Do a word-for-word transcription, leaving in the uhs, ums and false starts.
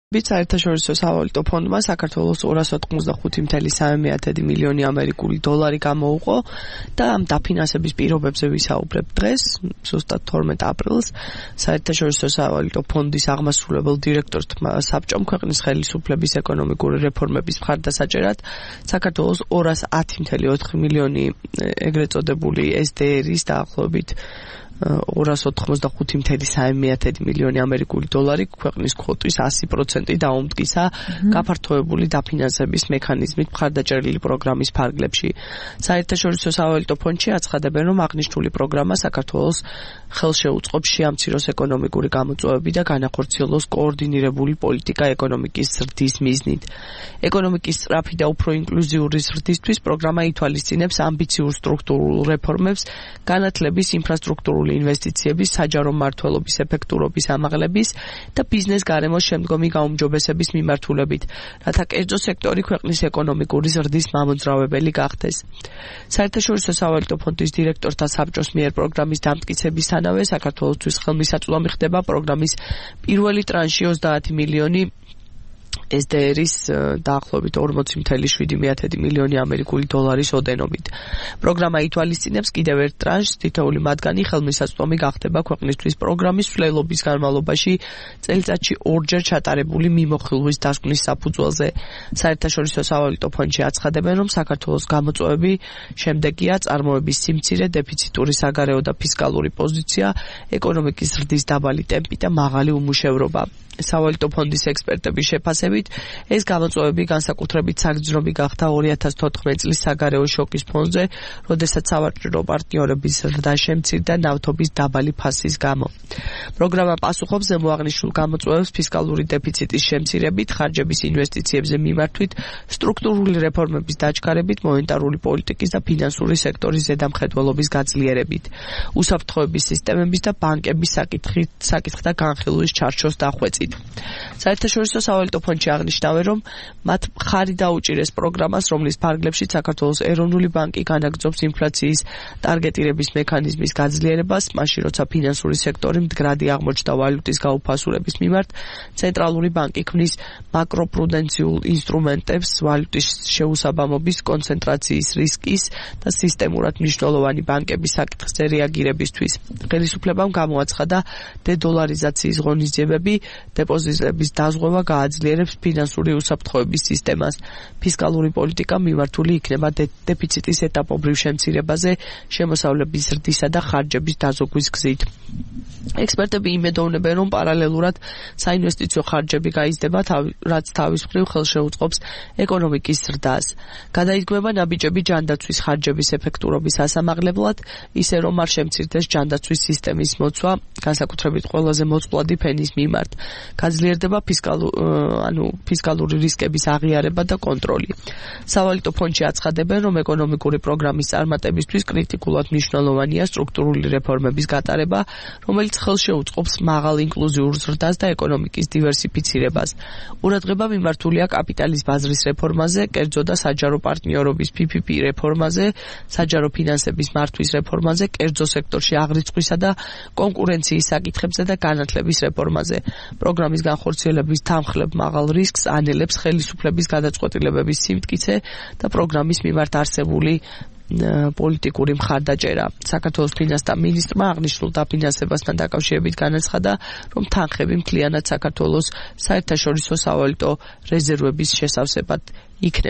საერთაშორისო სავალუტო ფონდმა საქართველოს ორას ოთხმოცდახუთი მცდარი სამი მილიონი ამერიკული დოლარი გამოუყო და ამ დაფინანსების პირობებზე ვისაუბრებ დღეს, ზუსტად თორმეტ აპრილს, საერთაშორისო სავალუტო ფონდის აღმასრულებელ დირექტორმა საბჭომ ქვეყნის ხელისუფლების ეკონომიკური რეფორმების მხარდასაჭერად საქართველოს ორას ათი მცდარი ოთხი მილიონი ეგრეთ წოდებული ეს დე ერის დაახლოებით ორას ოთხმოცდახუთი მცდარი სამი მილიონი ამერიკული დოლარი ქვეყნის კვოტის ასი პროცენტი დაუმტკისა გაფართოებული დაფინანსების მექანიზმით მხარდაჭერილი პროგრამის ფარგლებში. საერთაშორისო სავალუტო ფონდში აცხადებენ, რომ აღნიშნული პროგრამა საქართველოს ხელშეუწყობს შეამციროს ეკონომიკური გამოწვევები და განახორციელოს კოორდინირებული პოლიტიკა ეკონომიკის ზრდის მიზნით. ეკონომიკის სწრაფი და უფრო ინკლუზიური ზრდისთვის პროგრამა ითვალისწინებს ამბიციურ სტრუქტურულ რეფორმებს, განათლების ინფრასტრუქტურული ინვესტიციების, საჯარო მმართველობის ეფექტურობის ამაღლების და ბიზნეს გარემოს შემდგომი გაუმჯობესების მიმართულებით, რათა კერძო სექტორი ქვეყნის ეკონომიკური ზრდის მამოძრავებელი გახდეს. საერთაშორისო სავალუტო ფონდის დირექტორთა საბჭოს მიერ პროგრამის დამტკიცებისთანავე საქართველოსთვის ხელმისაწვდომი ხდება პროგრამის პირველი ტრანში ოცდაათი მილიონი ეს დე ერის დაახლოებით ორმოცი მცდარი შვიდი მილიონი ამერიკული დოლარის ოდენობით. პროგრამა ითვალისწინებს კიდევ ერთ ტრანშს, თითოეული მათგანი ხელმისაწვდომი გახდება ქვეყნისთვის პროგრამის მსვლელობის განმავლობაში წელიწადში ორჯერ ჩატარებული მიმოხილვის დასკვნის საფუძველზე. საერთაშორისო სავალუტო ფონდში აცხადებენ, რომ საქართველოს გამოწვევები შემდეგია: წარმოების სიმცირე, დეფიციტური საგარეო და ფისკალური პოზიცია, ეკონომიკის ზრდის დაბალი ტემპი და მაღალი უმუშევრობა. სავალუტო ფონდის ექსპერტების შეფასებით, ეს გამოწვევები განსაკუთრებით საგრძნობი გახდა ორი ათას თოთხმეტი წლის საგარეო შოკის ფონზე, როდესაც სავაჭრო პარტნიორების ზრდა შემცირდა ნავთობის დაბალი ფასის გამო. პროგრამა პასუხობს ზემოაღნიშნულ გამოწვევებს ფისკალური დეფიციტის შემცირებით, ხარჯების ინვესტიციებზე მიმართვით, სტრუქტურული რეფორმების დაჩქარებით, მონეტარული პოლიტიკის და ფინანსური სექტორის ზედამხედველობის გაძლიერებით, უსაფრთხოების სისტემების და ბანკების საკითხთა განხილვის ჩარჩოს დახვეწით. საერთაშორისო სავალუტო ფონდში აღნიშნავენ, რომ მათ მხარი დაუჭირეს პროგრამას, რომლის ფარგლებშიც საქართველოს ეროვნული ბანკი განაგრძობს ინფლაციის ტარგეტირების მექანიზმის გაძლიერებას, მაშინ როცა ფინანსური სექტორი მდგრადი აღმოჩნდა ვალუტის გაუფასურების მიმართ, ცენტრალური ბანკი ქმნის მაკროპრუდენციულ ინსტრუმენტებს ვალუტის შეუსაბამობის, კონცენტრაციის რისკის და სისტემურად მნიშვნელოვანი ბანკების საკითხზე რეაგირებისთვის. ხელისუფლებამ გამოაცხადა დედოლარიზაციის ღონისძიებები, დეპოზიტების დაზღვევა გააძლიერებს ფინანსური უსაფრთხოების სისტემას. ფისკალური პოლიტიკა მიმართული იქნება დეფიციტის ეტაპობრივ შემცირებაზე, შემოსავლების ზრდისა და ხარჯების დაზოგვის გზით. ექსპერტები იმედოვნებენ, რომ პარალელურად საინვესტიციო ხარჯები გაიზრდება, რაც თავის მხრივ ხელშეუწყობს ეკონომიკის ზრდას. გადაიდგმება ნაბიჯები ჯანდაცვის ხარჯების ეფექტურობის ასამაღლებლად, ისე რომ არ შემცირდეს ჯანდაცვის სისტემის მოცვა, განსაკუთრებით ყველაზე მოწყვლადი ფენის მიმართ. გაძლიერდება ფისკალურ, ანუ ფისკალური რისკების აღიარება და კონტროლი. სავალუტო ფონდში აცხადებენ, რომ ეკონომიკური პროგრამის წარმატებისთვის კრიტიკულად მნიშვნელოვანია სტრუქტურული რეფორმების გატარება, რომელიც ხელშეუწყობს მაღალ ინკლუზიურ ზრდას და ეკონომიკის დივერსიფიცირებას. ყურადღება მიმართულია კაპიტალის ბაზრის რეფორმაზე, კერძო და საჯარო პარტნიორობის პი პი პი რეფორმაზე, საჯარო ფინანსების მართვის რეფორმაზე, კერძო სექტორში აღრიცხვისა და კონკურენციის საკითხებზე და განათლების რეფორმაზე. პროგრამის განხორციელების თანხლებ მაღალ რისკს ანელებს ხელისუფლების გადაწყვეტილებების სიმტკიცე და პროგრამის მიმართ არსებული პოლიტიკური მხარდაჭერა. საქართველოს ფინანსთა მინისტრმა აღნიშნულ დაფინანსებასთან დაკავშირებით განაცხადა, რომ თანხები მთლიანად საქართველოს საერთაშორისო სავალუტო რეზერვების შესავსებად იქნება.